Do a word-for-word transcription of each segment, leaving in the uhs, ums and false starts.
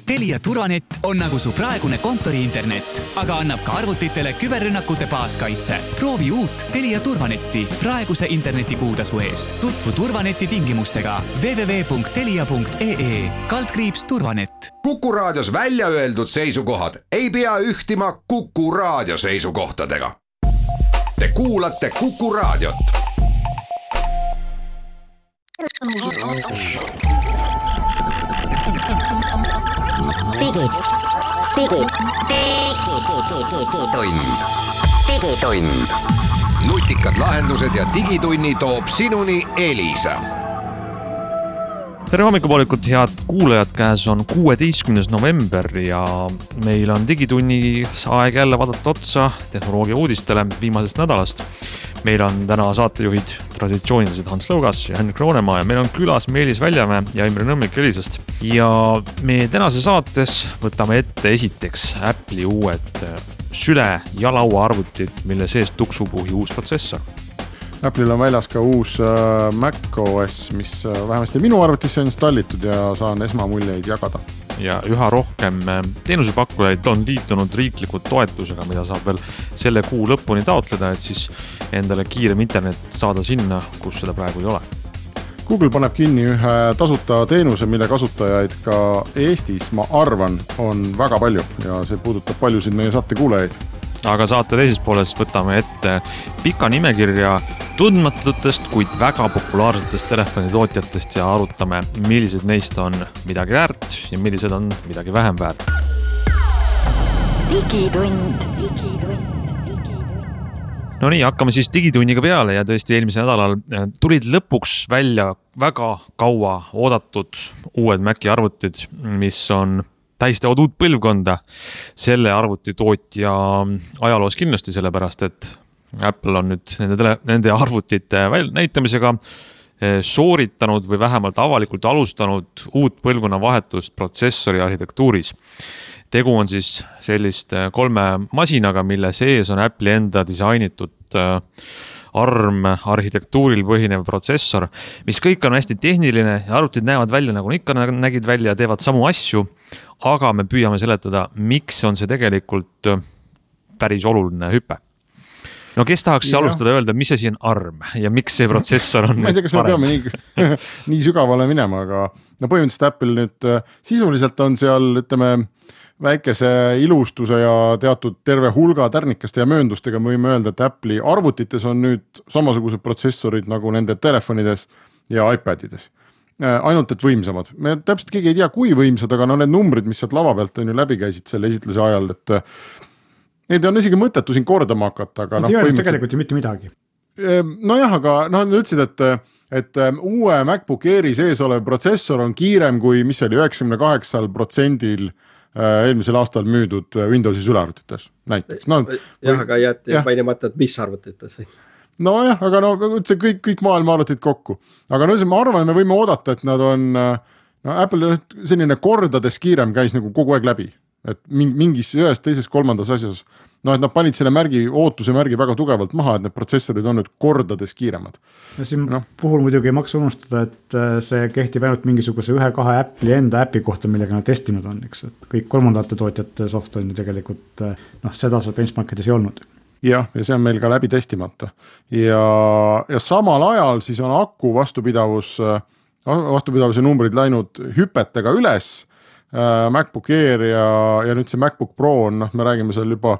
Telia Turvanet on nagu su praegune kontori-internet, aga annab ka arvutitele küberrünnakute baaskaitse. Proovi uut Telia Turvanetti praeguse internetikuutasu eest. Tutvu Turvaneti tingimustega w w w punkt telia punkt e e kaldkriips turvanet. Kuku Raadios välja öeldud seisukohad ei pea ühtima Kuku Raadio seisukohtadega. Te kuulate Kuku Raadiot. Digi, digi, digitund, digitund. Nutikad lahendused ja digitunni toob sinuni Elisa. Tere hommikupoolikut, head kuulajad, käes on kuueteistkümnes november ja meil on digitunnis aeg jälle vaadata otsa tehnoloogia uudistele viimasest nädalast. Meil on täna saatejuhid traditsioonilised Hans Lõugas ja Henrik Roonemaa ja meil on külas Meelis Väljamäe ja Imre Nõmmik Elisast. Ja me tänase saates võtame ette esiteks Apple'i uued süle- ja lauaarvutid, mille sees tuksupuhi uus protsessor. Apple'il on väljas ka uus äh, macOS, mis äh, vähemasti minu arvutisse on installitud ja saan esmamuljeid jagada. Ja üha rohkem teenusepakkujaid on liitunud riikliku toetusega, mida saab veel selle kuu lõpuni taotleda, et siis endale kiirem internet saada sinna, kus seda praegu ei ole. Google paneb kinni ühe tasuta teenuse, mille kasutajaid ka Eestis, ma arvan, on väga palju ja see puudutab paljusid meie saate kuulajaid. Aga saate teises pooles võtame ette pika nimekirja tundmatutest, kuid väga populaarsetest telefonitootjatest ja arutame, millised neist on midagi väärt ja millised on midagi vähem väärt. Digitund, digitund, digitund. No nii, hakkame siis digitunniga peale ja tõesti eelmisel nädalal tulid lõpuks välja väga kaua oodatud uued Maci arvutid, mis on tähistavad uut põlvkonda selle arvutitootja ajaloos kindlasti, sellepärast et Apple on nüüd nende, tele, nende arvutite näitamisega sooritanud või vähemalt avalikult alustanud uut põlvkonna vahetust protsessori arhitektuuris. Tegu on siis sellist kolme masinaga, mille sees on Apple'i enda disainitud ARM arhitektuuril põhinev protsessor, mis kõik on hästi tehniline ja arvutid näevad välja nagu ikka nägid välja ja teevad samu asju, aga me püüame seletada, miks on see tegelikult päris oluline hüpe. No kes tahaks ja. alustada öelda, mis asi on ARM ja miks see protsessor on ma ei tea, kas me peame nii, nii sügavale minema, aga no põhimõtteliselt Apple nüüd sisuliselt on seal, ütleme, väikese ilustuse ja teatud terve hulga tärnikaste ja mööndustega me võime öelda, et Apple'i arvutites on nüüd samasugused protsessorid nagu nende telefonides ja iPadides. Ainult et võimsamad. Me täpselt keegi ei tea, kui võimsad, aga no need numbrid, mis sealt lava pealt on ju läbi käisid selle esitluse ajal, et neid on isegi mõttetu siin kordama hakata. Aga no, põhimõtteliselt... tegelikult ju mitte midagi. No jah, aga no, nad ütlesid, et, et uue MacBook Airi sees olev protsessor on kiirem kui mis oli üheksakümne kaheksa protsendil eelmisel aastal müüdud Windowsi sülearvutites näiteks. No, jah, aga jäeti ja. mainimata, et mis arvutites. No jah, aga no see kõik, kõik maailma arvutid kokku. Aga no ma arvan, me võime oodata, et nad on, no Apple selline kordades kiirem käis nagu kogu aeg läbi. Et mingis ühes, teises, kolmandas asjas. No, et nad panid selle märgi, ootuse märgi väga tugevalt maha, et need protsessorid on nüüd kordades kiiremad. Ja siin no. puhul muidugi ei maksa unustada, et see kehtib ainult mingisuguse ühe-kahe Apple'i enda äpi kohta, millega nad testinud on. Eks? Et kõik kolmandate tootjate soft on ju tegelikult, noh, seda seal benchmarkides ei olnud. Jah, ja see on meil ka läbi testimata. Ja, ja samal ajal siis on aku vastupidavus, vastupidavuse numbrid läinud hüpetega üles, MacBook Air ja, ja nüüd see MacBook Pro on, noh, me räägime seal juba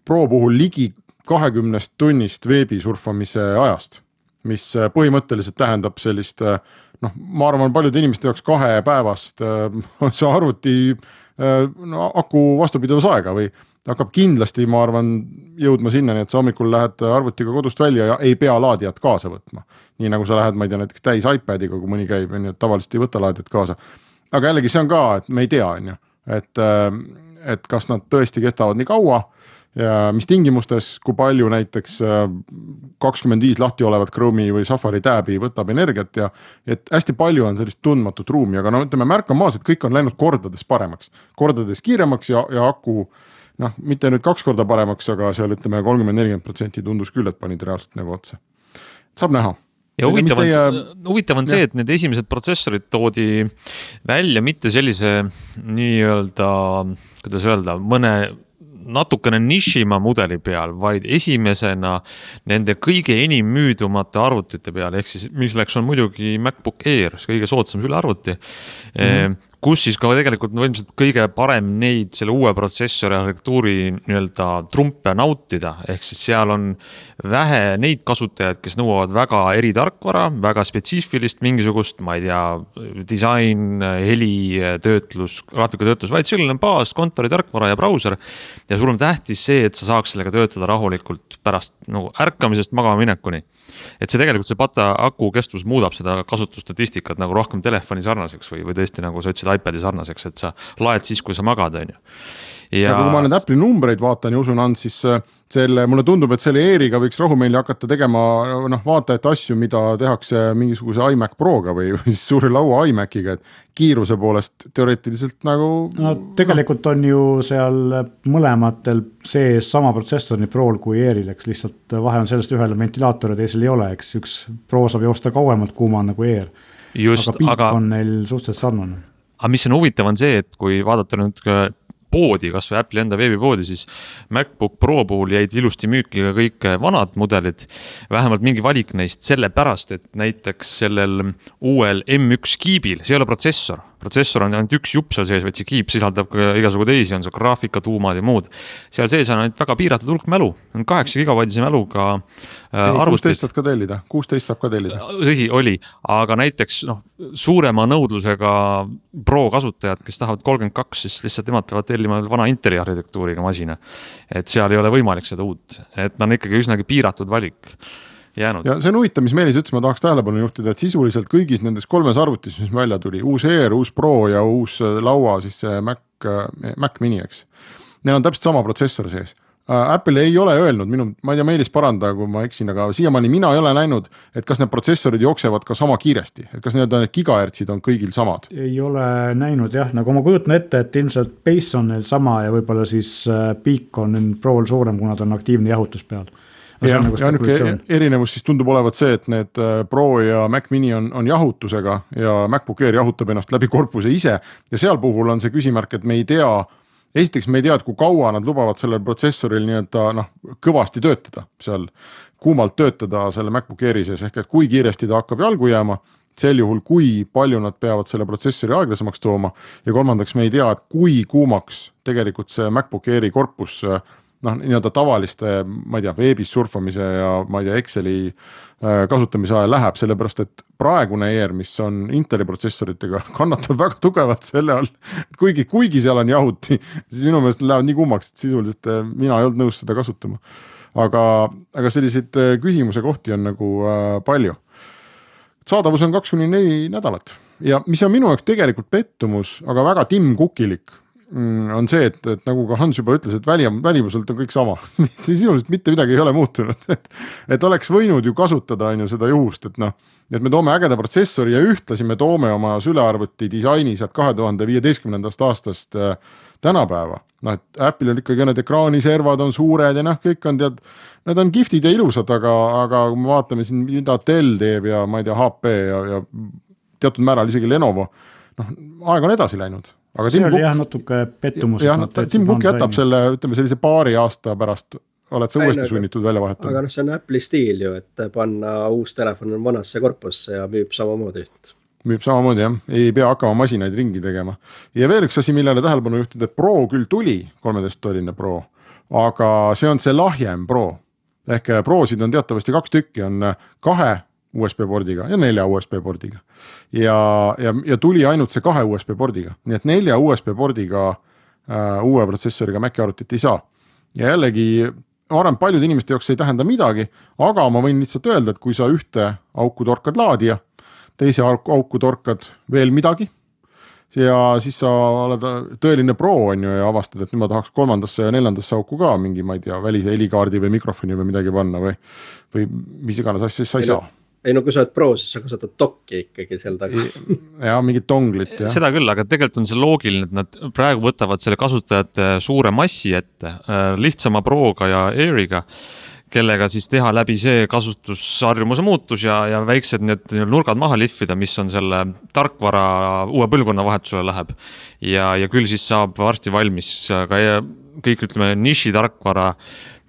Pro puhul ligi kahekümnest tunnist veebi surfamise ajast, mis põhimõtteliselt tähendab sellist, noh, ma arvan, paljude inimeste jaoks kahe päevast see arvuti no, aku vastupidavus aega või hakkab kindlasti, ma arvan, jõudma sinna, nii et sa hommikul lähed arvutiga kodust välja ja ei pea laadijat kaasa võtma. Nii nagu sa lähed, ma ei tea, näiteks täis iPadiga, kui mõni käib, nii et tavaliselt ei võta laadijat kaasa. Aga jällegi see on ka, et me ei tea, et, et kas nad tõesti kestavad nii kaua ja mis tingimustes, kui palju näiteks kakskümmend viis lahti olevat Chrome'i või Safari tääbi võtab energiat ja et hästi palju on sellist tundmatut ruumi, aga no ütleme märka maas, et kõik on läinud kordades paremaks, kordades kiiremaks ja, ja aku, noh, mitte nüüd kaks korda paremaks, aga seal ütleme kolmkümmend nelikümmend protsenti tundus küll, et panid reaalselt nagu otsa. Saab näha. ja huvitav on, teie... huvitav on see, et need esimesed protsessorid toodi välja mitte sellise nii-öelda, kuidas öelda, mõne natukene nišima mudeli peal, vaid esimesena nende kõige enim müüdumate arvutite peal, ehk siis milleks on muidugi MacBook Air, kõige soodsam sülearvuti, mm-hmm. kus siis ka tegelikult no, ilmselt kõige parem neid selle uue protsessori arhitektuuri nii-öelda trumpe nautida, ehk siis seal on vähe neid kasutajaid, kes nõuavad väga eritarkvara, väga spetsiifilist mingisugust, ma ei tea, disain, heli, töötlus, graafikatöötlus, vaid selline baas, kontori tarkvara ja brauser ja sul on tähtis see, et sa saaks sellega töötada rahulikult pärast nagu ärkamisest magama minekuni. Et see tegelikult see pata aku kestvus muudab seda kasutusstatistikat nagu rohkem telefoni sarnaseks või, või tõesti nagu sa ütlesid iPadi sarnaseks, et sa laed siis, kui sa magad, on ju. Ja... ja kui ma need Apple'i numbreid vaatan ja usun and, siis selle, mulle tundub, et selle Airiga võiks rahumeeli hakata tegema noh, vaatajate asju, mida tehakse mingisuguse iMac Proga või, või siis suure laua iMaciga, et kiiruse poolest teoreetiliselt nagu... No tegelikult on ju seal mõlematel sees sama protsessor nii Pro'l kui Airil, eks lihtsalt vahe on sellest ühel ventilaator ja teisel ei ole, eks üks Pro saab joosta kauemalt kuuma nagu Air. Just, aga piik aga... on neil suhteliselt sarnane. Aga mis on huvitav on see, et kui vaadata nüüd poodi, kas või Apple'i enda veebipoodi, siis MacBook Pro puhul jäid ilusti müüki ka kõik vanad mudelid, vähemalt mingi valik neist selle pärast, et näiteks sellel uuel M üks kiibil, see ei ole protsessor, protsessor on ainult üks jupp seal sees, vaid see kiip sisaldab ka igasugu teisi, on see graafika, tuumad ja muud. Seal sees on ainult väga piiratud hulk mälu, on kaheksa gigabaitise mäluga äh, arvutis. kuusteist saab ka tellida, kuusteist saab ka tellida. Tõsi, oli, aga näiteks noh, suurema nõudlusega Pro kasutajad, kes tahavad kolmkümmend kaks, siis lihtsalt nemad peavad tellima vana Inteli arhitektuuriga masina. Et seal ei ole võimalik seda uut, et on ikkagi üsnagi piiratud valik. Jäänud. Ja see on huvitav, mis Meelis ütles, ma tahaks tähelepanu juhtida, et sisuliselt kõigis nendes kolmes arvutis, mis välja tuli, uus Air, uus Pro ja uus laua, siis see Mac, Mac Mini, eks. Neil on täpselt sama protsessor sees. Apple ei ole öelnud, minu, ma ei tea, Meelis paranda, kui ma eksin, aga siiamaani mina ei ole näinud, et kas need protsessorid jooksevad ka sama kiiresti, et kas need, need gigahertsid on kõigil samad? Ei ole näinud, jah, nagu ma kujutan ette, et ilmselt base on neil sama ja võib-olla siis peak on Pro'l suurem, kuna ta on aktiivne jahutus peal. Ja, nagu ja niisugune erinevus siis tundub olevat see, et need Pro ja Mac Mini on, on jahutusega ja MacBook Air jahutab ennast läbi korpuse ise ja seal puhul on see küsimärk, et me ei tea, esiteks me ei tea, et kui kaua nad lubavad sellel protsessoril nii-öelda noh, kõvasti töötada, seal kuumalt töötada selle MacBook Airi sees, ehk et kui kiiresti ta hakkab jalgu jääma, sel juhul kui palju nad peavad selle protsessori aeglasemaks tooma ja kolmandaks me ei tea, et kui kuumaks tegelikult see MacBook Airi korpus noh, nii-öelda tavaliste, ma ei tea, veebis surfamise ja ma ei tea, Exceli kasutamise ajal läheb, sellepärast, et praegune Air, mis on Inteli protsessoritega, kannatab väga tugevalt selle all, et kuigi, kuigi seal on jahuti, siis minu meelest lähevad nii kummaks, et sisuliselt mina ei olnud nõus seda kasutama. Aga, aga selliseid küsimuse kohti on nagu äh, palju. Saadavus on kaks kuni neli nädalat ja mis on minu jaoks tegelikult pettumus, aga väga timmkukilik, on see, et, et nagu ka Hans juba ütles, et väli, välimuselt on kõik sama. Sisuliselt mitte midagi ei ole muutunud. Et, et oleks võinud ju kasutada on ju seda juhust, et, no, et me toome ägeda protsessori ja ühtlasi me toome oma sülearvuti disaini sealt kahe tuhande viieteistkümnendast aastast äh, tänapäeva. No, et Apple'il on ikkagi need ekraaniservad on suured ja noh, kõik on tead, need on giftid ja ilusad, aga, aga kui me vaatame siin, mida Dell teeb ja ma ei tea, H P ja, ja teatud määral isegi Lenovo, noh, aeg on edasi läinud. Aga see Tim oli Cook, jah natuke pettumus. Jah, Tim Cook jätab selle, ütleme sellise paari aasta pärast, oled sa uuesti sunnitud välja vahetama. Aga noh, see on Apple'i stiil ju, et panna uus telefon vanasse korpusse ja müüb samamoodi. Müüb samamoodi, jah. Ei pea hakkama masinaid ringi tegema. Ja veel üks asi, millele tähelepanu juhtida, et Pro küll tuli, kolmeteist tolline Pro, aga see on see lahjem Pro. Ehk Prosid on teatavasti kaks tükki, on kahe U S B pordiga ja nelja U S B pordiga. Ja, ja, ja tuli ainult see kahe U S B pordiga. Nii et nelja U S B pordiga äh, uue protsessoriga Maci arvutit ei saa. Ja jällegi, ma arvan, paljud inimeste jaoks ei tähenda midagi, aga ma võin lihtsalt öelda, et kui sa ühte auku torkad laadija, teise auku torkad veel midagi, ja siis sa oled tõeline Pro on ju ja avastad, et nüüd ma tahaks kolmandasse ja neljandasse auku ka mingi, ma ei tea, välise helikaardi või mikrofoni või midagi panna või, või mis iganes asja, siis sa ei saa. Ei no kui sa oled Pro, siis sa kasutad dokki ikkagi seal taga. Ja mingit tonglit. Ja. Seda küll, aga tegelikult on see loogiline, et nad praegu võtavad selle kasutajate suure massi ette lihtsama Proga ja Airiga, kellega siis teha läbi see kasutusharjumuse muutus ja, ja väiksed need nurgad maha lihvida, mis on selle tarkvara uue põlvkonna vahetusele läheb. Ja, ja küll siis saab varsti valmis ka kõik, ütleme, niši tarkvara,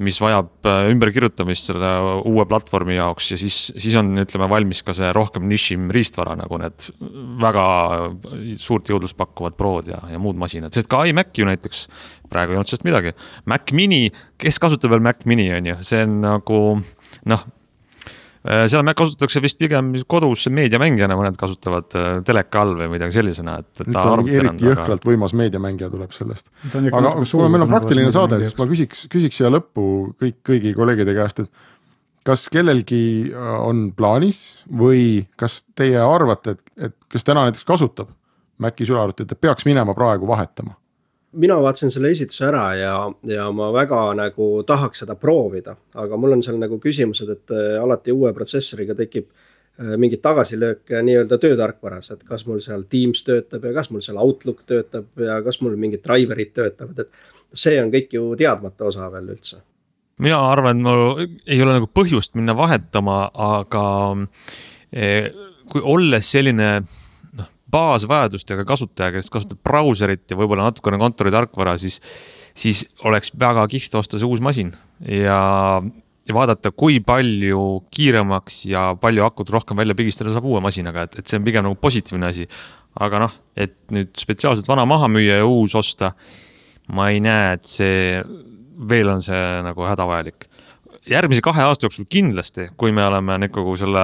mis vajab ümberkirjutamist selle uue platvormi jaoks ja siis, siis on, ütleme, valmis ka see rohkem nišim riistvara, nagu need väga suurt jõudlust pakkuvad Prod ja, ja muud masinad. Sest ka iMac ju näiteks praegu ei olnud sellest midagi. Mac Mini, kes kasutab veel Mac Mini on ju, see on nagu, noh, seal kasutatakse vist pigem kodus meediamängijana, mõned kasutavad teleka all või midagi sellisena. Et, et ta on eriti jõhkralt aga... võimas meediamängija tuleb sellest. Aga kui meil on praktiline saade, siis ma küsiks, küsiks siia lõppu kõik, kõigi kolleegide käest, et kas kellelgi on plaanis või kas teie arvate, et, et kes täna näiteks kasutab Maci sülearvutit, et peaks minema praegu vahetama? Mina vaatasin selle esituse ära ja, ja ma väga nagu tahaks seda proovida, aga mul on seal nagu küsimused, et alati uue protsessoriga tekib mingid tagasilöök nii-öelda töötarkvaras, et kas mul seal Teams töötab ja kas mul seal Outlook töötab ja kas mul mingid driverid töötavad, et see on kõik ju teadmata osa veel üldse. Mina arvan, et mul ei ole nagu põhjust minna vahetama, aga kui olles selline baasvajadustega kasutaja, kes kasutab brauserit ja võib-olla natukene kontori tarkvara, siis, siis oleks väga kihvt osta see uus masin ja, ja vaadata, kui palju kiiremaks ja palju akut rohkem välja pigistada saab uue masinaga, et, et see on pigem nagu positiivne asi. Aga noh, et nüüd spetsiaalselt vana maha müüa ja uus osta, ma ei näe, et see veel on see nagu hädavajalik. Järgmise kahe aasta jooksul kindlasti, kui me oleme nagu selle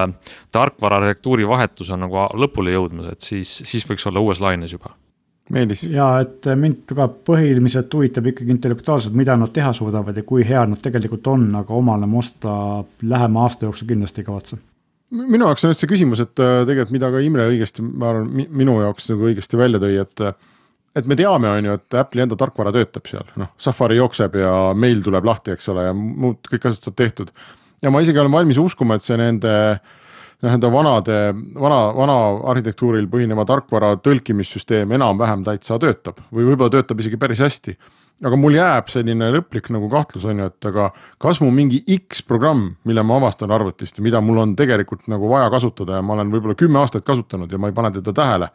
tarkvara arhitektuuri vahetus on nagu lõpule jõudmas, et siis, siis võiks olla uues laines juba. Meelis. Ja, et mind ka põhiliselt huvitab ikkagi intellektuaalselt, mida nad teha suudavad ja kui hea nad tegelikult on, aga omale mosta lähema aasta jooksul kindlasti ei kavatse. Minu jaoks on see küsimus, et tegelikult mida ka Imre õigesti, ma arvan, minu jaoks nagu õigesti välja tõi, et et me teame, on ju, et Apple'i enda tarkvara töötab seal, noh, Safari jookseb ja meil tuleb lahti, eks ole, ja muud kõik asjad saab tehtud. Ja ma isegi olen valmis uskuma, et see nende, nende vanade, vana, vana arhitektuuril põhineva tarkvara tõlkimissüsteem enam-vähem täitsa töötab või võib-olla töötab isegi päris hästi. Aga mul jääb selline lõplik nagu kahtlus, on ju, et aga kas mu mingi X programm, mille ma avastan arvutist ja mida mul on tegelikult nagu vaja kasutada ja ma olen võib-olla kümme aastat kasutanud ja ma ei pane teda tähele,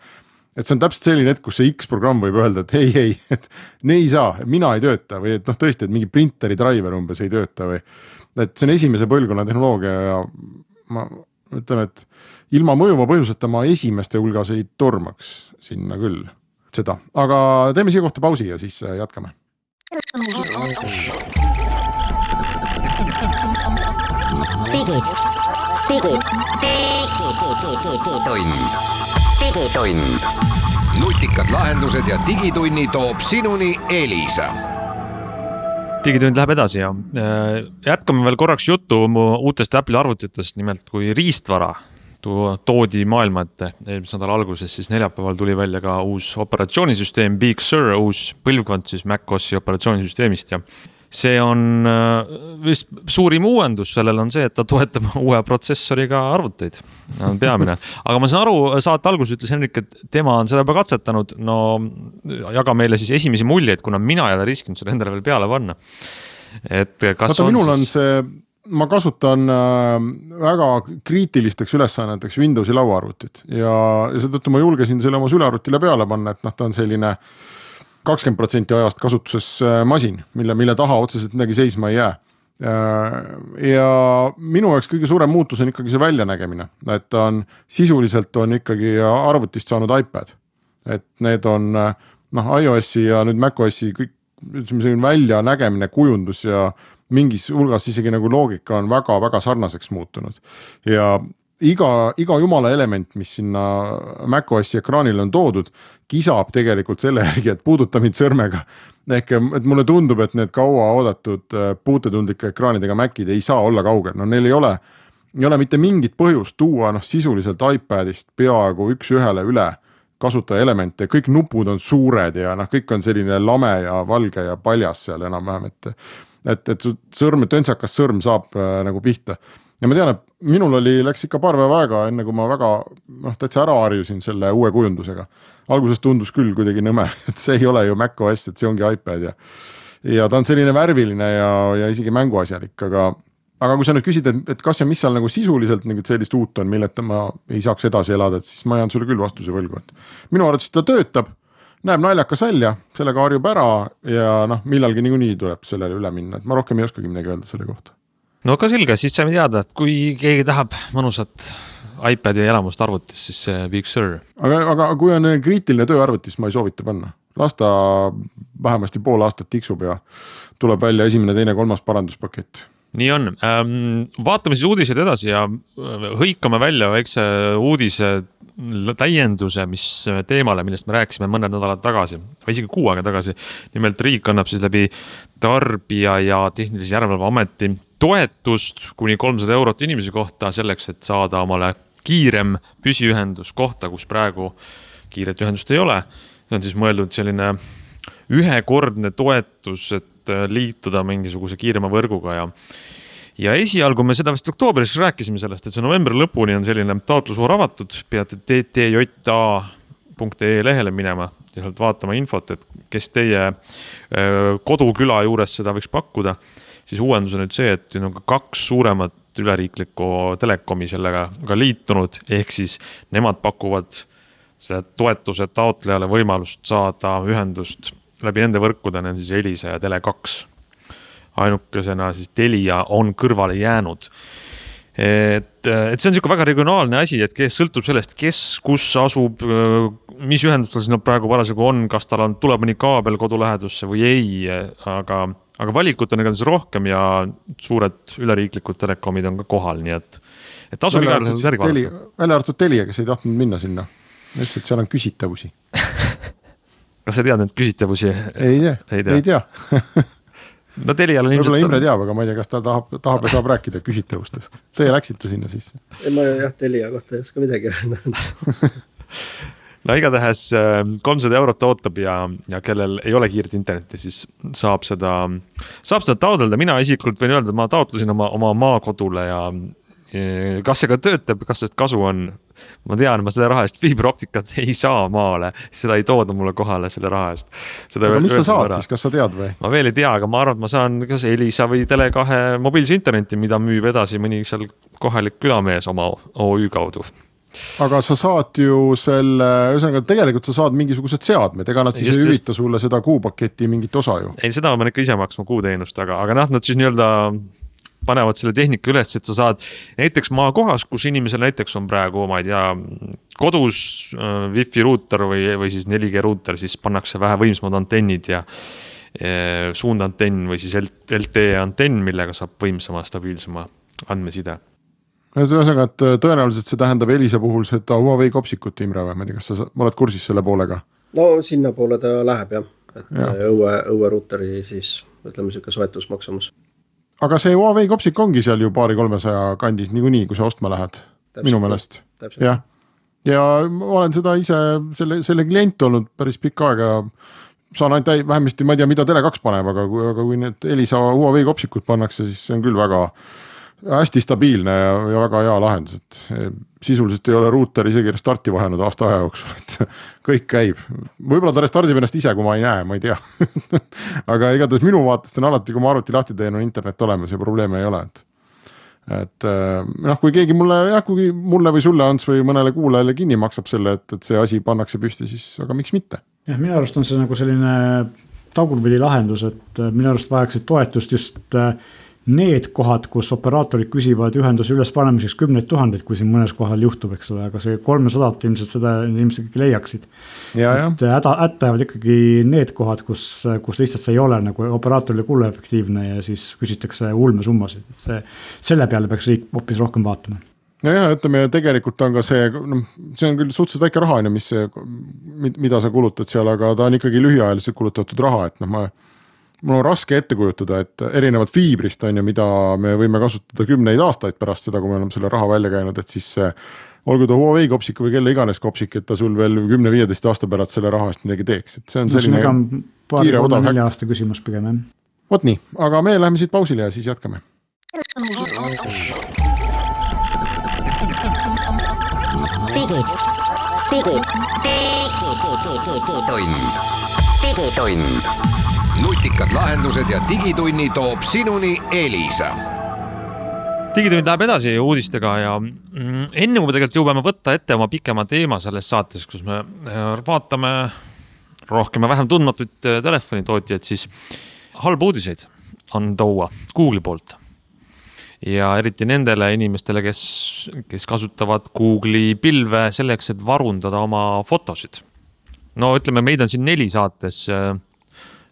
et see on täpselt selline hetk, kus see X programm võib öelda, et ei, ei, et ne ei saa, mina ei tööta või et noh, tõesti, et mingi printeri driver umbes ei tööta või et see on esimese põlvkonna tehnoloogia ja ma ütlen, et ilma mõjuva põhjuseta ma esimeste hulgas ei tormaks sinna küll seda, aga teeme siia kohta pausi ja siis jätkame. Digid, digid, digitund. Digitund. Nutikad lahendused ja digitunni toob sinuni Elisa. Digitund läheb edasi ja jätkame veel korraks juttu uutest Apple'i arvutitest, nimelt kui riistvara toodi maailma ette eelmise nädala alguses, siis neljapäeval tuli välja ka uus operatsioonisüsteem Big Sur, uus põlvkond siis macOSi operatsioonisüsteemist ja see on vist suurim uuendus, sellel on see, et ta toetab uue protsessoriga arvuteid, on peamine. Aga ma saan aru, saate alguses ütles Henrik, et tema on seda juba katsetanud, no jaga meile siis esimesi muljeid, kuna mina ei ole riskinud seda endale veel peale panna. Et kas Vaata, on minul siis... on see, ma kasutan väga kriitilisteks ülesanneteks Windowsi lauaarvutit ja, ja seetõttu ma julgesin selle oma sülearvutile peale panna, et noh, ta on selline kakskümmend protsenti ajast kasutuses masin, mille, mille taha otseselt midagi seisma ei jää. Ja minu jaoks kõige suurem muutus on ikkagi see väljanägemine, et ta on sisuliselt on ikkagi arvutist saanud iPad. Et need on noh, iOSi ja nüüd macOSi kõik välja nägemine, kujundus ja mingis hulgas isegi nagu loogika on väga-väga sarnaseks muutunud. Ja iga, iga jumala element, mis sinna macOSi ekraanile on toodud, kisab tegelikult selle järgi, et puuduta mind sõrmega. Ehk, et mulle tundub, et need kaua oodatud puutetundlike ekraanidega Macid ei saa olla kaugel. No neil ei ole, ei ole mitte mingit põhjust tuua noh, sisuliselt iPadist peaaegu üks ühele üle kasutaja elemente. Kõik nupud on suured ja noh, kõik on selline lame ja valge ja paljas seal enam-vähem, et, et, et sõrm, töntsakas sõrm saab äh, nagu pihta. Ja ma tean, et minul oli, läks ikka paar päeva aega, enne kui ma väga noh, täitsa ära harjusin selle uue kujundusega. Alguses tundus küll kuidagi nõme, et see ei ole ju macOS, et see ongi iPad ja, ja ta on selline värviline ja, ja isegi mänguasjalik, aga aga kui sa nüüd küsid, et, et kas ja mis seal nagu sisuliselt nagu sellist uut on, milleta ma ei saaks edasi elada, et siis ma jään sulle küll vastuse võlgu, et minu arvates ta töötab, näeb naljakas välja, sellega harjub ära ja noh, millalgi niikuinii tuleb sellele üle minna, et ma rohkem ei oskagi midagi öelda selle kohta. No ka selge, siis saime teada, et kui keegi tahab mõnusat iPadi elamust arvutis, siis see Big Sur. Aga, aga kui on kriitiline tööarvutis, ma ei soovita panna. Lasta vähemasti pool aastat tiksub ja tuleb välja esimene, teine, kolmas paranduspakett. Nii on. Vaatame siis uudised edasi ja hõikame välja väikse uudise täienduse, mis teemale, millest me rääkisime mõned nädalad tagasi, või isegi kuu aega tagasi. Nimelt riik annab siis läbi tarbija ja tehnilise järelevalve ameti toetust kuni kolmsada eurot inimese kohta selleks, et saada omale kiirem püsiühendus kohta, kus praegu kiiret ühendust ei ole. See on siis mõeldud selline ühekordne toetus, et liituda mingisuguse kiirema võrguga ja ja esialgu me seda vist oktoobris rääkisime sellest, et see novembri lõpuni on selline taotlusvoor avatud, peate t t j a punkt e lehele minema ja sealt vaatama infot, et kes teie koduküla juures seda võiks pakkuda, siis uuendus on nüüd see, et on ka kaks suuremat üleriiklikku telekomi sellega ka liitunud, ehk siis nemad pakuvad selle toetuse taotlejale võimalust saada ühendust läbi nende võrkuda, need siis Elisa ja Tele kaks. Ainukesena siis Telia on kõrvale jäänud. Et, et see on selline väga regionaalne asi, et kes sõltub sellest, kes kus asub, mis ühendustel siis nad praegu parasjagu on, kas tal on, tuleb mõni kaabel kodulähedusse või ei, aga, aga valikut on igatahes rohkem ja suured üleriiklikud telekomid on ka kohal, nii et, et tasub igal järgi vaadata. Välja arvatud Telia, kes ei tahtnud minna sinna. Ütles, et seal on küsitavusi. Kas sa tead need küsitavusi? Ei tea, ei tea. Ei tea. No Telial on ilmselt... Imre teab, aga ma ei tea, kas ta tahab, tahab ja saab rääkida küsitavustest. Teie läksite sinna sisse? Ei, ma jah, Telia kohta ei oska midagi öelda. No igatahes kolmsada eurot ootab ja, ja kellel ei ole kiiret internetti, siis saab seda, saab seda taotleda. Mina isiklikult võin öelda, et ma taotlusin oma, oma maakodule ja kas see ka töötab, kas see kasu on, ma tean, ma seda raha eest fiiberoptikat ei saa maale, seda ei tooda mulle kohale selle raha eest. Seda aga mis sa saad ära. Siis, kas sa tead või? Ma veel ei tea, aga ma arvan, et ma saan kas Elisa või Tele kahe mobiilse interneti, mida müüb edasi mõni seal kohalik külamees oma O Ü kaudu. Aga sa saad ju selle, ühesõnaga tegelikult sa saad mingisugused seadmed, ega nad siis just, ei hüvita sulle seda kuupaketi mingit osa ju? Ei, seda ma ikka ise maksma kuuteenust, aga, aga nad siis nii-öelda panevad selle tehnika üles, et sa saad näiteks maakohas, kus inimesel näiteks on praegu, ma ei tea, kodus äh, Wi-Fi ruuter või, või siis neli G ruuter, siis pannakse vähe võimsamad antennid ja e, suundantenn või siis L T E antenn, millega saab võimsama, stabiilsema andmeside. Ühesõnaga, et tõenäoliselt see tähendab Elisa puhul seda Huawei kopsikut, Imre, või ma ei tea, kas sa oled kursis selle poolega? No sinna poole ta läheb jah, et ja. õue, õue ruuteri siis, ütleme siuke soetusmaksumus. Aga see Huawei kopsik ongi seal ju paari kolmesaja kandis niikuinii, kui sa ostma lähed, täpselt, minu meelest. Ja. ja ma olen seda ise, selle, selle klient olnud päris pikka aega, saan ainult vähemasti, ma ei tea, mida Tele kaks paneb, aga kui, aga kui need Elisa Huawei kopsikud pannakse, siis see on küll väga hästi stabiilne ja, ja väga hea lahendus, et sisuliselt ei ole ruuter isegi restarti vahenud aasta aja jooksul, et kõik käib. Võib-olla ta restardib ennast ise, kui ma ei näe, ma ei tea. Aga igatahes minu vaatest on alati, kui ma arvuti lahti teen, on internet olemas ja probleeme ei ole. Et, et noh, kui keegi mulle, jah, kui mulle või sulle Ants või mõnele kuulajale kinni maksab selle, et, et see asi pannakse püsti, siis aga miks mitte? Jah, minu arust on see nagu selline tagurpidi lahendus, et minu arust vajaksid toetust just need kohad, kus operaatorid küsivad ühenduse üles panemiseks kümneid tuhandeid, kui siin mõnes kohal juhtub, eks ole, aga see kolmesadat ilmselt seda ilmselt ikkagi leiaksid. Ja, et häda, hättavad ikkagi need kohad, kus, kus lihtsalt see ei ole nagu operaatorile kuluefektiivne ja siis küsitakse ulmesummasid. See, selle peale peaks riik hoopis rohkem vaatama. Ja, ja ütleme, tegelikult on ka see, no, see on küll suhteliselt väike raha, mis, mida sa kulutad seal, aga ta on ikkagi lühiajaliselt kulutatud raha, et noh, ma mul on raske ette kujutada, et erinevad fiibrist on ju, mida me võime kasutada kümneid aastaid pärast seda, kui me oleme selle raha välja käinud, et siis olgu ta Huawei kopsik või kelle iganes kopsik, et ta sul veel kümne viieteist aasta pärast selle raha eest midagi teeks. Et see on selline no, kiire odav häkk. Aasta küsimus pigem, jah. Vot nii, aga me läheme siit pausile ja siis jätkame. Digid, digid, digitund, digitund. Nutikad lahendused ja digitunni toob sinuni Elisa. digitund läheb edasi uudistega ja enne kui me tegelikult jõuame võtta ette oma pikema teema selles saates, kus me vaatame rohkem ja vähem tundmatuid telefonitootjaid, siis halb uudiseid on toua Google'i poolt. Ja eriti nendele inimestele, kes, kes kasutavad Google'i pilve selleks, et varundada oma fotosid. No ütleme, meid on siin neli saates.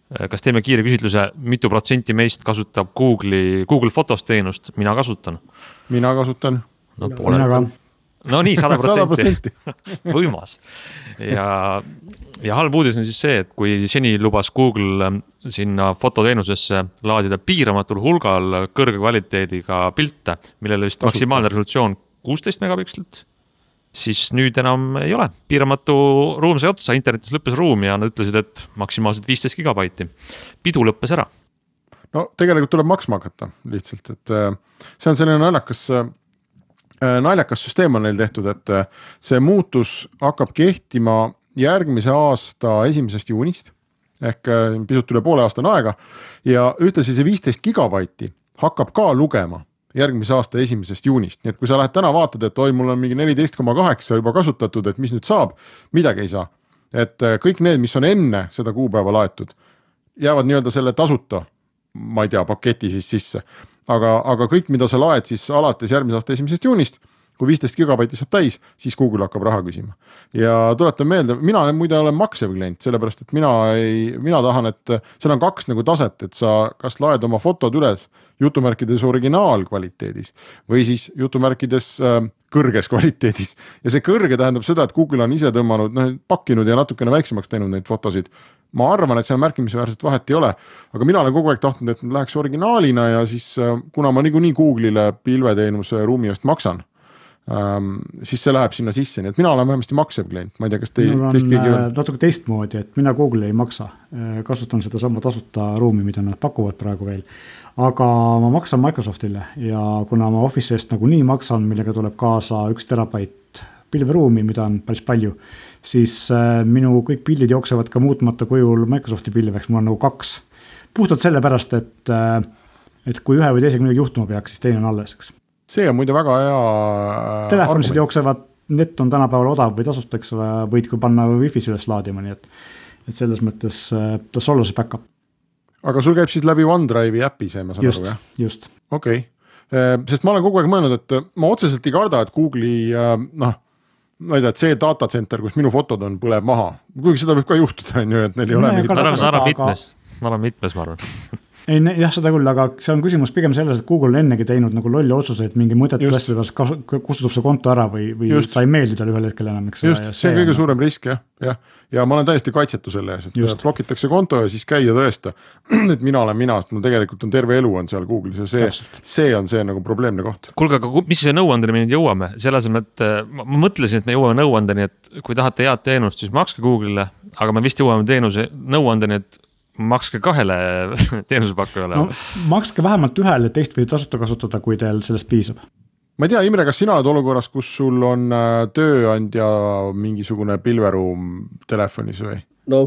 Kas teeme kiire küsitluse, mitu protsenti meist kasutab Google'i, Google Fotos teenust? Mina kasutan. Mina kasutan. No, Mina ka. No nii, sada protsenti. Võimas. Ja, ja halb uudis on siis see, et kui seni lubas Google sinna fototeenusesse laadida piiramatul hulgal kõrge kvaliteediga pilte, millele vist maksimaalne resolutsioon kuusteist megapikslit, siis nüüd enam ei ole. Piiramatu ruum sai otsa, internetis lõppes ruum ja nad ütlesid, et maksimaalselt viisteist gigabaiti. Pidu lõppes ära. No tegelikult tuleb maksma hakata lihtsalt, et see on selline naljakas, naljakas süsteem on neil tehtud, et see muutus hakkab kehtima järgmise aasta esimesest juunist ehk pisut üle poole aastane aega ja ühtlasi see viisteist gigabaiti hakkab ka lugema järgmise aasta esimesest juunist. Nii et kui sa lähed täna vaatad, et oi, mul on mingi neliteist koma kaheksa juba kasutatud, et mis nüüd saab, midagi ei saa. Et kõik need, mis on enne seda kuupäeva laetud, jäävad nii-öelda selle tasuta, ma ei tea, paketi siis sisse. Aga, aga kõik, mida sa laed siis alates järgmise aasta esimesest juunist, kui viisteist gigabaiti saab täis, siis Google hakkab raha küsima. Ja tuletan meelde, mina muide olen maksev klient, sellepärast, et mina, ei, mina tahan, et seal on kaks nagu taset, et sa kas laed oma fotod üles jutumärkides originaalkvaliteedis või siis jutumärkides äh, kõrges kvaliteedis. Ja see kõrge tähendab seda, et Google on ise tõmmanud, noh, pakkinud ja natukene väiksemaks teinud neid fotosid. Ma arvan, et seal märkimisväärselt vahet ei ole, aga mina olen kogu aeg tahtnud, et läheks originaalina ja siis kuna ma niikuinii Google'ile pilveteenuse ruumi eest maksan, ähm, siis see läheb sinna sisse, nii et mina olen vähemasti maksev klient, ma ei tea, kas te, teist keegi on? Natuke teistmoodi, et mina Google ei maksa, kasutan seda sama tasuta ruumi, mida nad pakuvad praegu veel, aga ma maksan Microsoftile ja kuna ma Office'ist nagu nii maksan, millega tuleb kaasa üks terabait pilveruumi, mida on päris palju, siis minu kõik pildid jooksevad ka muutmata kujul Microsofti pilveks, mul on nagu kaks. Puhtalt selle pärast, et, et kui ühe või teisega midagi juhtuma peaks, siis teine on alleseks. See on muide väga hea telefonisid jooksevad, net on tänapäeval odav või tasustaks, võid kui panna Wi-Fi's üles laadima, nii et, et selles mõttes tas olla see backup. Aga sul käib siis läbi OneDrive'i äpi see, ma saan just, aru, jah? Just. Okei. Okay. Sest ma olen kogu aeg mõelnud, et ma otseselt ei karda, et Google'i, noh, ma ei tea, et see datacenter, kus minu fotod on, põleb maha. Kuigi seda võib ka juhtuda, on ju, et neil ei ole mingit... Ma arvan mitmes, ma arvan mitmes, ma arvan. Ei, jah, seda küll, aga see on küsimus pigem selles, et Google on ennegi teinud nagu lolli otsuseid, mingi mõtet üles, kustutub see konto ära või, või sa ei meeldi tal ühel hetkel enam. Eks just, see on kõige suurem risk, jah. jah. Ja ma olen täiesti kaitsetu selle ees, et just. Blokitakse konto ja siis käia tõesta, et mina olen mina, sest mul tegelikult on terve elu on seal Google'is ja see, see on see nagu probleemne koht. Kuulge, aga mis see nõuandeni me nüüd jõuame? Selle asemel, et ma mõtlesin, et me jõuame nõuandeni, et kui tahate head teenust, siis makske Google'ile, aga me vist jõuame teenuse nõuandeni, et makske kahele teenusepakkujale. No, makske vähemalt ühele, teist või tasuta kasutada, kui teil sellest piisab. Ma ei tea, Imre, kas sina oled olukorras, kus sul on tööandja mingisugune pilveruum telefonis või? No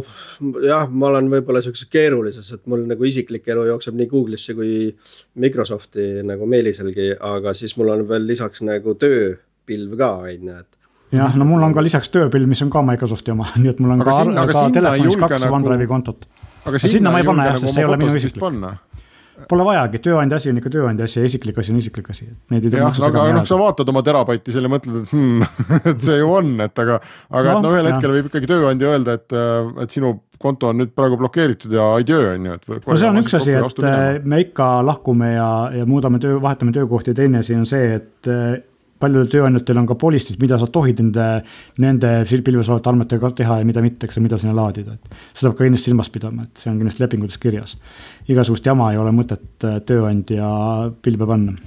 jah, ma olen võib-olla sellises keerulises, et mul nagu isiklik elu jookseb nii Google'isse kui Microsofti nagu meeliselgi, aga siis mul on veel lisaks nagu tööpilv ka, et jah, no mul on ka lisaks tööpilv, mis on ka Microsofti oma, nii et mul on aga ka, sinna, ka telefonis kaks nagu... OneDrive'i kontot. Aga sinna, sinna ma ei panna, jah, sest see ei ole minu isiklik. Panna. Pole vajagi, tööandja asi on ikka tööandja asi ja isiklik asi on isiklik asi. Neid ei jah, aga noh, sa vaatad oma terabaiti selle mõtled, et, hmm, et see ju on, et aga, aga no, et no ühel hetkel võib ikkagi tööandja öelda, et, et sinu konto on nüüd praegu blokeeritud ja ei töö on ju. Et no see on üks asi, et me ikka lahkume ja, ja muudame töö, vahetame töökohti ja teine asi on see, et paljudel tööandjatel on ka polistid, mida sa tohid nende, nende pilves olevate andmetega teha ja mida mitte, mida sinna laadida. Et seda peab ka kindlasti silmas pidama, et see on kindlasti lepingutes kirjas. Igasugust jama ei ole mõtet tööandja pilve panna.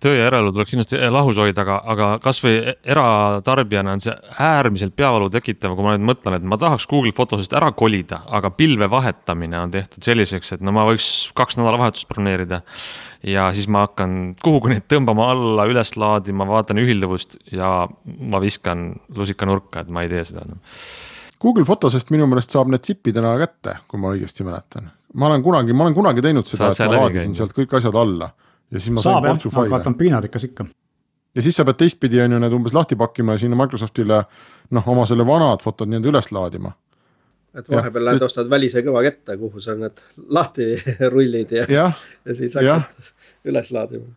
Töö ja eraelu tuleks kindlasti lahus hoida, aga, aga kas või eratarbijana on see äärmiselt peavalu tekitav, kui ma nüüd mõtlen, et ma tahaks Google Fotosest ära kolida, aga pilve vahetamine on tehtud selliseks, et no ma võiks kaks nädala vahetust broneerida ja siis ma hakkan kuhugi neid tõmbama alla, üles laadima, vaatan ühilduvust ja ma viskan lusika nurka, et ma ei tee seda. Google Fotosest minu meelest saab need zipidena kätte, kui ma õigesti mäletan. Ma olen kunagi, ma olen kunagi teinud seda, et ma laadisin sealt kõik asjad alla. ja siis ma saab sain jah, portsu faile. aga ta on piinarikas ikka. Ja siis sa pead teistpidi on ju need umbes lahti pakkima ja sinna Microsoftile noh, oma selle vanad fotod nii üles laadima. Et vahepeal lähed ostad välise kõva kette, kuhu sa need lahti rullid ja, ja. ja siis hakkad üles laadima.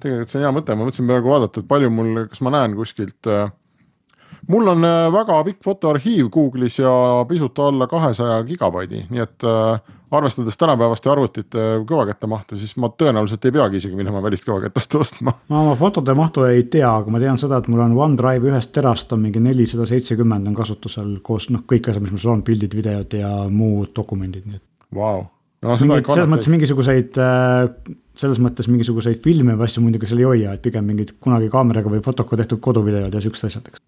Tegelikult see on hea mõte, ma mõtlesin praegu vaadata, et palju mul, kas ma näen kuskilt. Mul on väga pikk fotoarhiiv Google'is ja pisut alla kahesaja gigabaidi, nii et arvestades tänapäevaste arvutite kõvaketta mahta, siis ma tõenäoliselt ei peagi isegi minema välist kõvakettast ostma. Ma oma fotode mahtu ei tea, aga ma tean seda, et mul on OneDrive ühest terast on mingi nelisada seitsekümmend on kasutusel koos noh, kõik asjad, mis mul on, pildid, videod ja muud dokumendid. Nii et... Wow. No, Mingid, selles mõttes mingisuguseid, selles mõttes mingisuguseid filme või asju muidugi seal ei hoia, et pigem mingid kunagi kaameraga või fotoga tehtud koduvideod ja sükst asjadeks.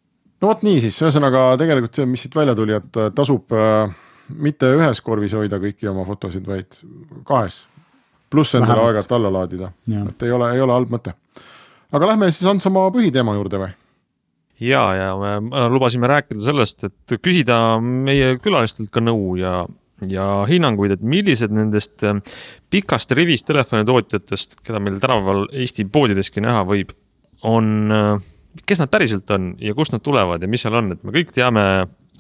No vot nii siis, ühesõnaga tegelikult see, mis siit välja tuli, et tasub äh, mitte ühes korvis hoida kõiki oma fotosid, vaid kahes. Pluss endale aegalt alla laadida. Ja. Et ei ole, ei ole halb mõte. Aga lähme siis Ants oma põhiteema juurde või? Ja, ja me lubasime rääkida sellest, et küsida meie külalistelt ka nõu ja, ja hinnanguid, et millised nendest pikast rivist telefonitootjatest, keda meil tänapäeval Eesti poodideski näha võib, on... kes nad päriselt on ja kust nad tulevad ja mis seal on, et me kõik teame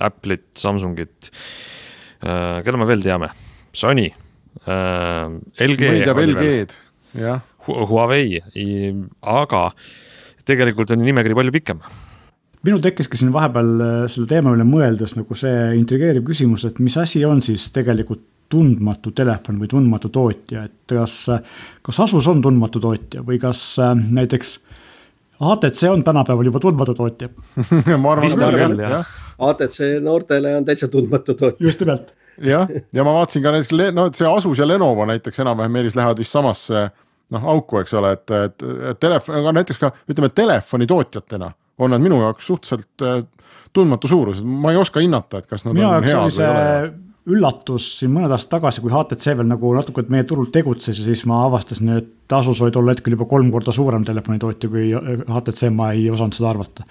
Apple'it, Samsungit, äh, keda me veel teame, Sony, äh, L G, L G-d, jah. Huawei, aga tegelikult on nimekiri palju pikem. Minu tekkiski siin vahepeal selle teema üle mõeldes nagu see intrigeeriv küsimus, et mis asi on siis tegelikult tundmatu telefon või tundmatu tootja, et kas, kas Asus on tundmatu tootja või kas näiteks A T C on tänapäeval juba tundmatu tootja. ma arvan, et küll, jah. A T C noortele on täitsa tundmatu tootja. Just nimelt. jah, ja ma vaatasin ka näiteks, no, see Asus ja Lenovo näiteks enam-vähem Meelis lähevad vist samasse noh, auku, eks ole, et, et, et telefon, aga näiteks ka ütleme telefoni tootjatena on nad minu jaoks suhteliselt tundmatu suurused. Ma ei oska hinnata, et kas nad minu on head või ole. Üllatus siin mõned aastad tagasi, kui H T C veel nagu natuke meie turul tegutses ja siis ma avastasin, et Asus oli tol hetkel juba kolm korda suurem telefonitootja kui H T C, ma ei osanud seda arvata.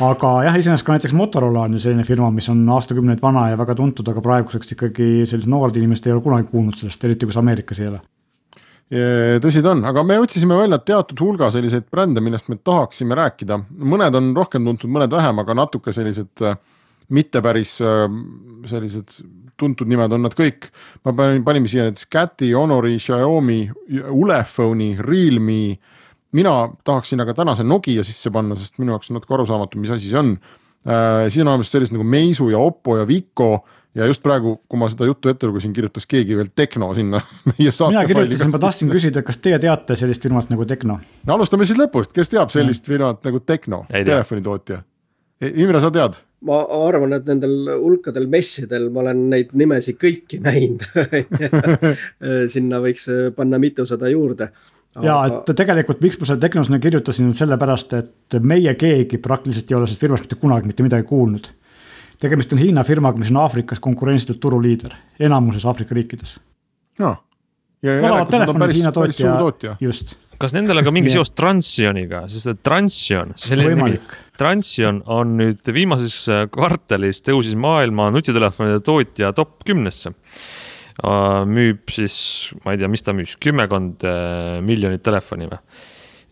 Aga jah, isenest ka näiteks Motorola on selline firma, mis on aastakümneid vana ja väga tuntud, aga praeguseks ikkagi sellised noored inimesed ei ole kunagi kuulnud sellest, eriti kus Ameerikas ei ole. Tõsi ta on, aga me otsisime välja teatud hulga selliseid brände, millest me tahaksime rääkida. Mõned on rohkem tuntud, mõned vähem, aga natuke sellised mitte päris sellised tuntud nimed on nad kõik. Ma panime siia näiteks Cati, Honori, Xiaomi, Ulefoni, Realme. Mina tahaksin aga tänase Nokia sisse panna, sest minu jaoks on natuke arusaamatu, mis asi see on. Siin on sellised nagu Meisu ja Oppo ja Vico ja just praegu, kui ma seda juttu ette lugesin, kirjutas keegi veel Tekno sinna. Mina kirjutasin, ma tahtsin küsida, kas teie teate sellist firmat nagu Tekno? No, alustame siis lõpust, kes teab sellist firmat nagu Tekno, telefonitootja? Imre, sa tead? Ma arvan, et nendel hulkadel messidel ma olen neid nimesi kõiki näinud. Sinna võiks panna mitusada juurde. Aga... Ja, et tegelikult miks ma selle Teknosena kirjutasin sellepärast, et meie keegi praktiliselt ei ole sellest firmast mitte kunagi mitte midagi kuulnud. Tegemist on Hiina firmaga, mis on Aafrikas konkurentsitud turuliider, enamuses Aafrika riikides. No. Ja järelikult on päris, Hiina tootja, päris suur tootja. Just. Kas nendel on ka mingi seos Transioniga, sest et Transion, Transion on nüüd viimases kvartalis tõusis maailma nutitelefonide tootja top kümnesse. Müüb siis, ma ei tea, mis ta müüs, kümmekond miljonit telefoni.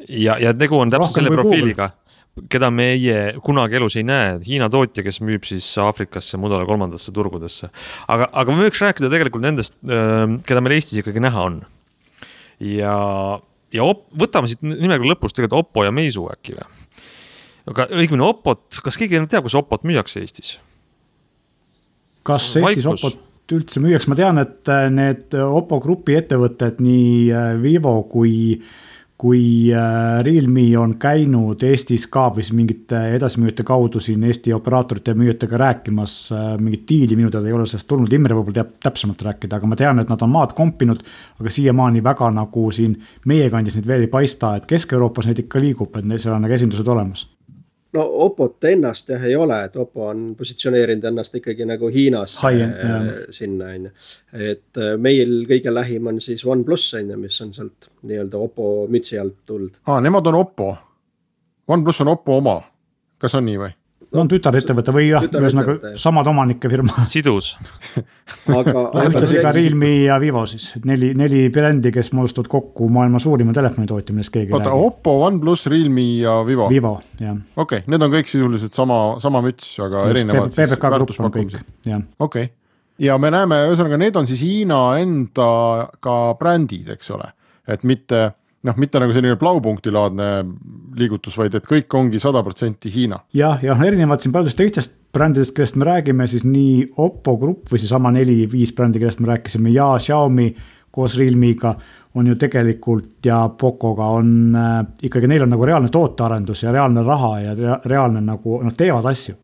Ja, ja tegu on täpselt selle profiiliga, keda meie kunagi elus ei näe. Hiina tootja, kes müüb siis Aafrikasse, mudale kolmandasse turgudesse. Aga, aga me võiks rääkida tegelikult nendest, keda meil Eestis ikkagi näha on. Ja... Ja op, võtame siit nimega lõpust tegelikult Oppo ja Meisu äkki või? Aga õigmine Oppot, kas keegi teab, kus Oppot müüakse Eestis? Kas Eestis Oppot üldse müüaks? Ma tean, et need Oppo grupi ettevõtted, nii Vivo kui, kui Realme on käinud Eestis ka või mingite edasimüüjate kaudu siin Eesti operaatorite ja müüjatega rääkimas mingit diili, minu teada ei ole sellest tulnud, Imre võib-olla teab täpsemalt rääkida, aga ma tean, et nad on maad kompinud, aga siiamaani väga nagu siin meie kandis neid veel ei paista, et Kesk-Euroopas neid ikka liigub, et seal on nagu esindused olemas. No Oppot ennast jah ei ole, et Oppo on positsioneerinud ennast ikkagi nagu Hiinas äh, sinna. Et meil kõige lähim on siis OnePlus, mis on sealt nii-öelda Oppo mütsi alt tulnud. Aa, nemad on Oppo. OnePlus on Oppo oma. Kas on nii või? no on tütarettevõte või jah, ühesõnaga samad omanike firma. Sidus. aga, aga see ka Realme ja Vivo siis, neli, neli brändi, kes moodustavad kokku maailma suurima telefonitootja, millest keegi Oota, räägi. Oppo, OnePlus, Realme ja Vivo? Vivo, jah. Okei, okay, need on kõik sisuliselt sama, sama müts, aga just erinevad P B K grupp on kõik, jah. Okei, okay. Ja me näeme, ühesõnaga, need on siis Hiina enda ka brändid, eks ole, et mitte noh, mitte nagu selline plaupunktilaadne liigutus, vaid et kõik ongi sada protsenti Hiina. Jah, ja erinevad siin paljudest teistest brändidest, kellest me räägime, siis nii Oppo grupp või siis sama neli viis brändi, kellest me rääkisime ja Xiaomi koos Realmega on ju tegelikult ja Pocoga on äh, ikkagi neil on nagu reaalne tootearendus ja reaalne raha ja reaalne nagu, noh, teevad asju.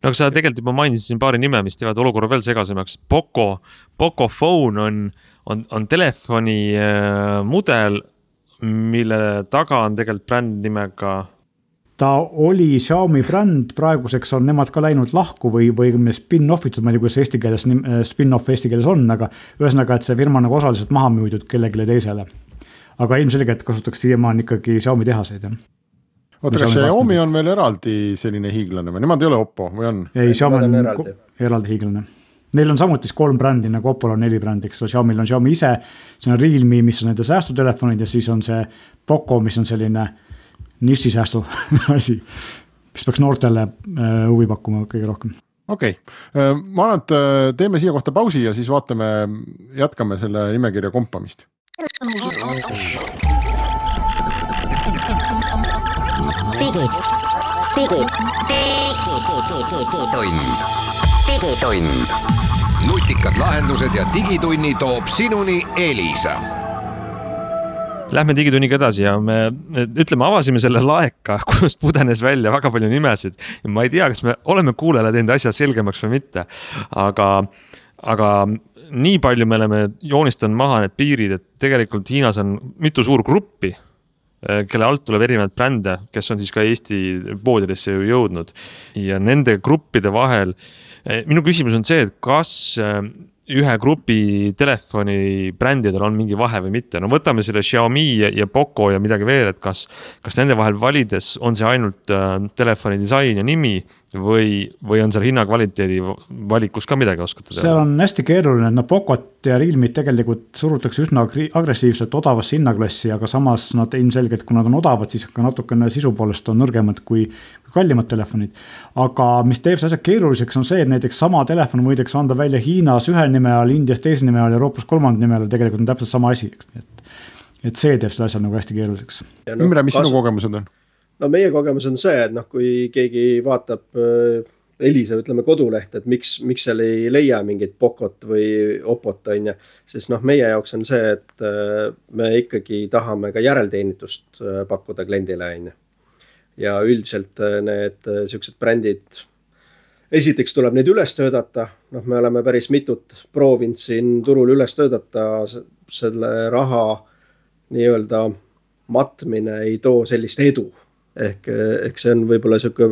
No aga sa tegelikult juba mainisid siin paari nime, mis teevad olukorra veel segasemaks. Poco, Poco Phone on, on, on telefoni äh, mudel, mille taga on tegelikult bränd nimega? Ta oli Xiaomi bränd, praeguseks on nemad ka läinud lahku või, või spin-offitud, ma ei tea, kuidas eesti keeles, spin-off eesti keeles on, aga ühesõnaga, et see firma nagu osaliselt maha müüdud kellegile teisele. Aga ilmselgelt kasutaks siiamaani ikkagi Xiaomi tehaseid. Jah. Oota, kas Xiaomi on veel eraldi selline hiiglane või? Nemad ei ole Oppo või on? Ei, Xiaomi on eraldi, eraldi hiiglane. Neil on samuti kolm brändi, nagu Oppol on neli brändi, eks Xiaomi'l on Xiaomi ise, see on Realme, mis on nende säästutelefonid ja siis on see Poco, mis on selline niši säästu asi, mis peaks noortele huvi pakkuma kõige rohkem. Okei, okay. Ma arvan, et teeme siia kohta pausi ja siis vaatame, jätkame selle nimekirja kompamist. Digid, digid, digitund. Digitund. Nutikad lahendused ja digitunni toob sinuni Elisa. Lähme digitunniga edasi ja me ütleme, avasime selle laeka, kust pudenes välja väga palju nimesid. Ja ma ei tea, kas me oleme kuulele teinud asja selgemaks või mitte, aga, aga nii palju me oleme joonistanud maha need piirid, et tegelikult Hiinas on mitu suur gruppi, kelle alt tuleb erinevad brände, kes on siis ka Eesti poodidesse ju jõudnud. Ja nende gruppide vahel, minu küsimus on see, et kas ühe grupi telefoni brändidel on mingi vahe või mitte. No võtame selle Xiaomi ja, ja Poco ja midagi veel, et kas, kas nende vahel valides on see ainult äh, telefoni disain ja nimi või, või on seal hinna kvaliteedi valikus ka midagi oskata teha? Seal on hästi keeruline, et no Pocot ja Realme'it tegelikult surutakse üsna agressiivselt odavasse hinnaklassi, aga samas nad ilmselgelt, kui nad on odavad, siis ka natukene sisu poolest on nõrgemad kui kallimad telefonid. Aga mis teeb see asja keeruliseks on see, et näiteks sama telefon võidakse anda välja Hiinas ühe nime all, Indias teise nime all, Euroopas kolmand nime all, tegelikult on täpselt sama asi. Et, et see teeb seda asja nagu hästi keeruliseks. No, Ümre, mis kas... sinu kogemused on? No meie kogemus on see, et noh, kui keegi vaatab äh, Elisa, ütleme koduleht, et miks, miks seal ei leia mingit Pocot või Oppot on ja, sest noh, meie jaoks on see, et äh, me ikkagi tahame ka järelteenitust äh, pakkuda kliendile on ja. Ja üldiselt need siuksed brändid, esiteks tuleb neid üles töödata, noh me oleme päris mitut proovinud siin turul üles töödata, selle raha nii-öelda matmine ei too sellist edu. Ehk, ehk see on võib-olla siuke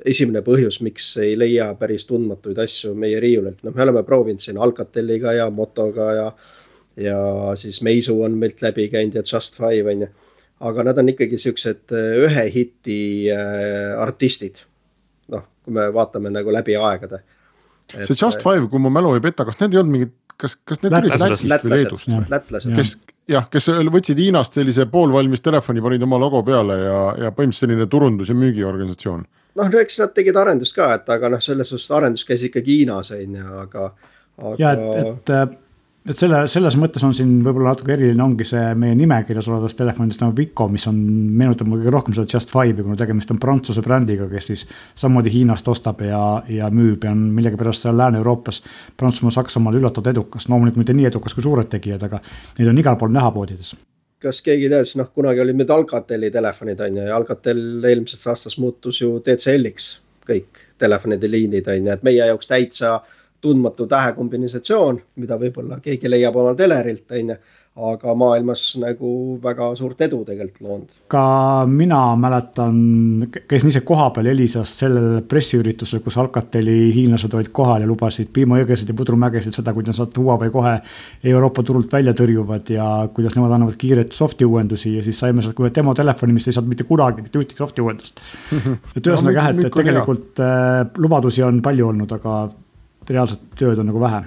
esimene põhjus, miks ei leia päris tundmatuid asju meie riiulelt. No me oleme proovinud siin Alcateliga ja Motoga ja, ja siis Meisu on meilt läbi käinud ja Just Five on ja. Aga nad on ikkagi siuksed ühe hiti äh, artistid. Noh, kui me vaatame nagu läbi aegade. See et, Just Five, kui mu mälu ei peta, kas need ei olnud mingid, kas, kas need olid Lätist või Leedust? Lätlased. Kes, jah, kes võtsid Hiinast sellise poolvalmis telefoni, panid oma logo peale ja, ja põhimõtteliselt selline turundus- ja müügiorganisatsioon. Noh, eks nad tegid arendust ka, et aga noh, selles suhtes arendus käis ikkagi Hiinas, aga, aga... Ja, et, et et selle, selles mõttes on siin võib-olla natuke eriline ongi see meie nimekirjas olevast telefonidest nagu Vico, mis on, meenutab kõige rohkem seda Just Five, kuna tegemist on Prantsuse brändiga, kes siis samamoodi Hiinast ostab ja, ja müüb ja on millegi pärast seal Lääne-Euroopas, Prantsusmaa, Saksamaal üllatavad edukas. Loomulikult mitte nii edukas kui suured tegijad, aga neid on igal pool näha poodides. Kas keegi teades, noh kunagi olid need Alcateli telefonid on ja Alcatel eelmisest aastast muutus ju T C L-iks kõik telefonide liinid on ja et meie jaoks täitsa tundmatu tähekombinatsioon, mida võib-olla keegi leiab omal telerilt, on ju, aga maailmas nagu väga suurt edu tegelikult loonud. Ka mina mäletan, käisin ise koha peal Elisas sellel pressiüritusel, kus Alcateli hiinlased olid kohal ja lubasid piimajõgesid ja pudrumägesid seda, kuidas nad Huawei kohe Euroopa turult välja tõrjuvad ja kuidas nemad annavad kiiret softi uuendusi ja siis saime sealt kohe demo telefoni, mis ei saanud mitte kunagi, mitte ühtegi softi uuendust. Et ühesõnaga jah, et tegelikult äh, lubadusi on palju olnud, aga reaalset tööd on nagu vähe.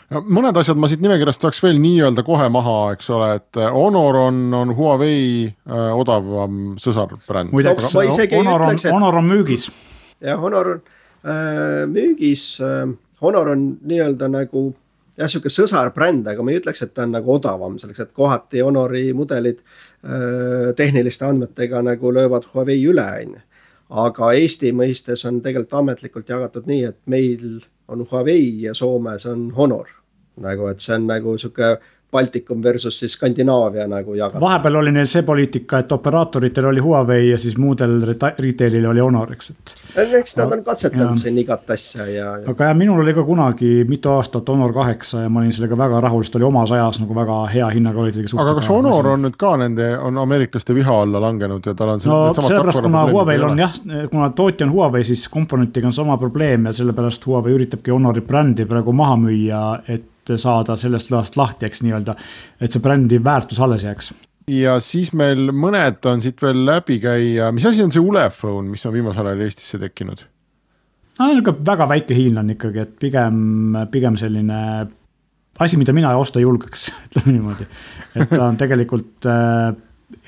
Ja mõned asjad ma siit nimekirjast saaks veel nii-öelda kohe maha, eks ole, et Honor on, on Huawei äh, odavam sõsarbränd. Muideks, Honor on, Honor on müügis. Ja Honor on äh, müügis, äh, Honor on nii-öelda nagu jah, siuke sõsarbränd, aga ma ei ütleks, et ta on nagu odavam, selleks, et kohati Honori mudelid äh, tehniliste andmetega nagu löövad Huawei üle, on. Aga Eesti mõistes on tegelikult ametlikult jagatud nii, et meil on Huawei ja Soomes on Honor. Nagu, et see on nagu siuke Baltikum versus siis Skandinaavia nagu jagatud. Vahepeal oli neil see poliitika, et operaatoritel oli Huawei ja siis muudel retailil oli Honor, eks. Eks nad on katsetanud siin igat asja. Ja, ja. Aga jah, minul oli ka kunagi mitu aastat Honor kaheksa ja ma olin sellega väga rahul, sest oli omas ajas nagu väga hea hinnaga oli. Aga kas Honor on nüüd ka nende, on ameeriklaste viha alla langenud ja tal on no, sellepärast, kuna Huawei on jah, kuna tootja on Huawei, siis komponentiga on sama probleem ja sellepärast Huawei üritabki Honori brändi praegu maha müüa, et saada sellest lõhast lahti, eks nii-öelda, et see brändi väärtus alles jääks. Ja siis meil mõned on siit veel läbi käia. Mis asi on see Ulefone, mis on viimasel ajal Eestisse tekkinud? No, väga väike hiinlan ikkagi, et pigem, pigem selline asi, mida mina osta julgeks, ütleme niimoodi. Et ta on tegelikult äh,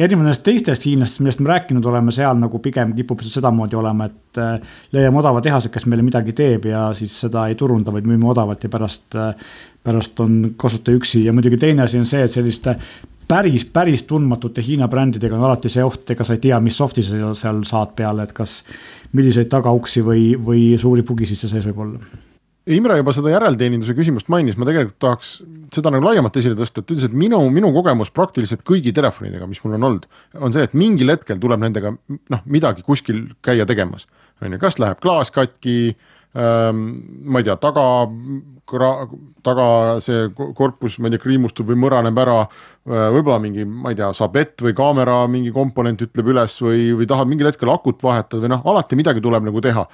erinevalt teistest hiinlastest, millest me rääkinud oleme, seal nagu pigem kipub sedamoodi olema, et äh, leiame odava tehase, kes meile midagi teeb ja siis seda ei turunda, vaid müüme odavalt ja pärast, äh, pärast on kasuta üksi. Ja muidugi teine asi on see, et selliste päris, päris tundmatute Hiina brändidega on alati see oht, ega sa ei tea, mis softi sa seal saad peale, et kas milliseid tagauksi või, või suuri pugisid see sees võib olla. Imre juba seda järelteeninduse küsimust mainis, ma tegelikult tahaks seda nagu laiemalt esile tõsta, et ütles, et minu, minu kogemus praktiliselt kõigi telefonidega, mis mul on olnud, on see, et mingil hetkel tuleb nendega noh, midagi kuskil käia tegemas. Kas läheb klaas katki, ähm, ma ei tea, taga, taga see korpus, ma ei tea, kriimustub või mõraneb ära, võib-olla mingi, ma ei tea, sabett või kaamera mingi komponent ütleb üles või, või tahad mingil hetkel akut vahetada või noh, alati midagi tuleb nagu teha.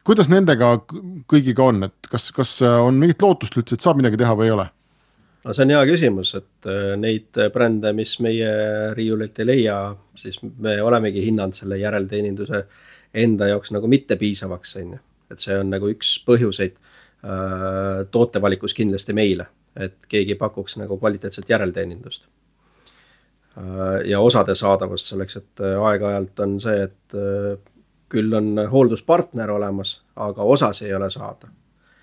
Kuidas nendega kõigiga on, et kas, kas on mingit lootust üldse, et saab midagi teha või ei ole? No see on hea küsimus, et neid brände, mis meie riiulilt ei leia, siis me olemegi hinnanud selle järelteeninduse enda jaoks nagu mitte piisavaks. Et see on nagu üks põhjuseid tootevalikus kindlasti meile, et keegi pakuks nagu kvaliteetset järelteenindust. Ja osade saadavust selleks, et aeg-ajalt on see, et küll on hoolduspartner olemas, aga osas ei ole saada.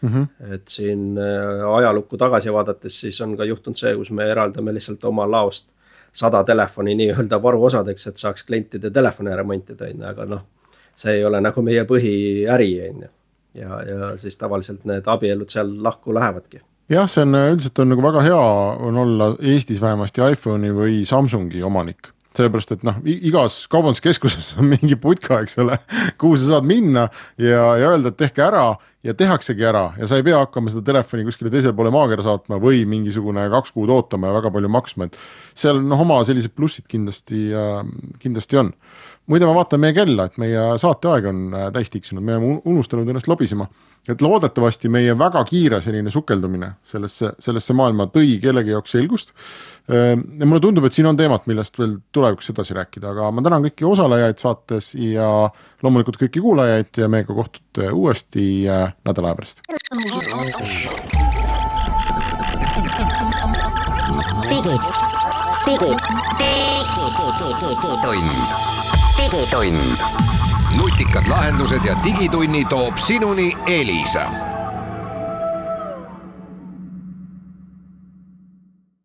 Mm-hmm. Et siin ajalukku tagasi vaadates siis on ka juhtunud see, kus me eraldame lihtsalt oma laost sada telefoni nii-öelda varuosadeks, et saaks klientide telefoni remontida, aga noh, see ei ole nagu meie põhiäri. Ja, ja siis tavaliselt need abielud seal lahku lähevadki. Jah, see on üldiselt on nagu väga hea on olla Eestis vähemasti iPhone'i või Samsungi omanik. Sellepärast, et noh, igas kaubanduskeskuses on mingi putka, eks ole, kuhu sa saad minna ja, ja öelda, et tehke ära ja tehaksegi ära ja sa ei pea hakkama seda telefoni kuskile teisele poole maakera saatma või mingisugune kaks kuud ootama ja väga palju maksma, et seal noh, oma sellised plussid kindlasti, kindlasti on. Muide, ma vaatan meie kella, et meie saateaeg on täis tiksunud, me oleme unustanud ennast lobisema, et loodetavasti meie väga kiire selline sukeldumine sellesse, sellesse maailma tõi kellegi jaoks selgust. Ja mulle tundub, et siin on teemat, millest veel tulevikus edasi rääkida, aga ma tänan kõiki osalejaid saates ja loomulikult kõiki kuulajaid ja meiega kohtute uuesti nädala aja pärast. Digid, digid, digid, digitund. Digitund. Nutikad lahendused ja digitunni toob sinuni Elisa.